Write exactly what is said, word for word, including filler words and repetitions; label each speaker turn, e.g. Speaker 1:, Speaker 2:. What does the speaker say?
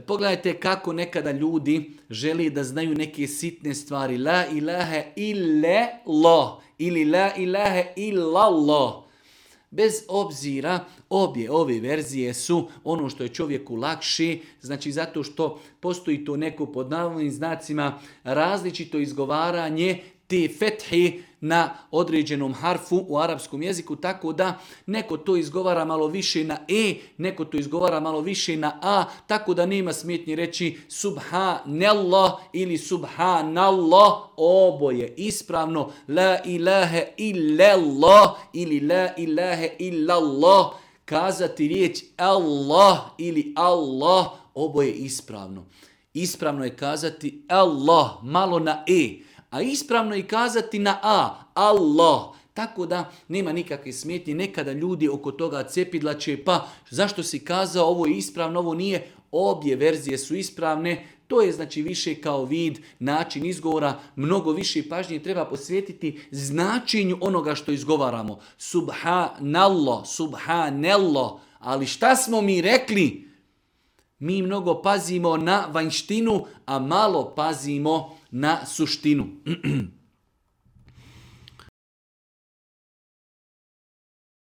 Speaker 1: Pogledajte kako nekada ljudi želi da znaju neke sitne stvari. La ilaha illa Allah ili la ilaha illallah. Bez obzira, obje ove verzije su ono što je čovjeku lakši, znači zato što postoji to neko pod navodnim znacima različito izgovaranje te fethi na određenom harfu u arapskom jeziku, tako da neko to izgovara malo više na e, neko to izgovara malo više na a, tako da nema smetnji reći subhanallah ili subhanallah, oboje ispravno, la ilaha illallah ili la ilaha illallah, kazati riječ Allah ili Allah, oboje ispravno. Ispravno je kazati Allah, malo na e, a ispravno je kazati na a, Allah. Tako da nema nikakve smetnje. Nekada ljudi oko toga cepidlače, pa zašto si kazao ovo je ispravno, ovo nije. Obje verzije su ispravne. To je znači više kao vid, način izgovora. Mnogo više pažnje treba posvetiti značenju onoga što izgovaramo. Subhanallah, subhanallah. Ali šta smo mi rekli? Mi mnogo pazimo na vanjštinu, a malo pazimo na suštinu.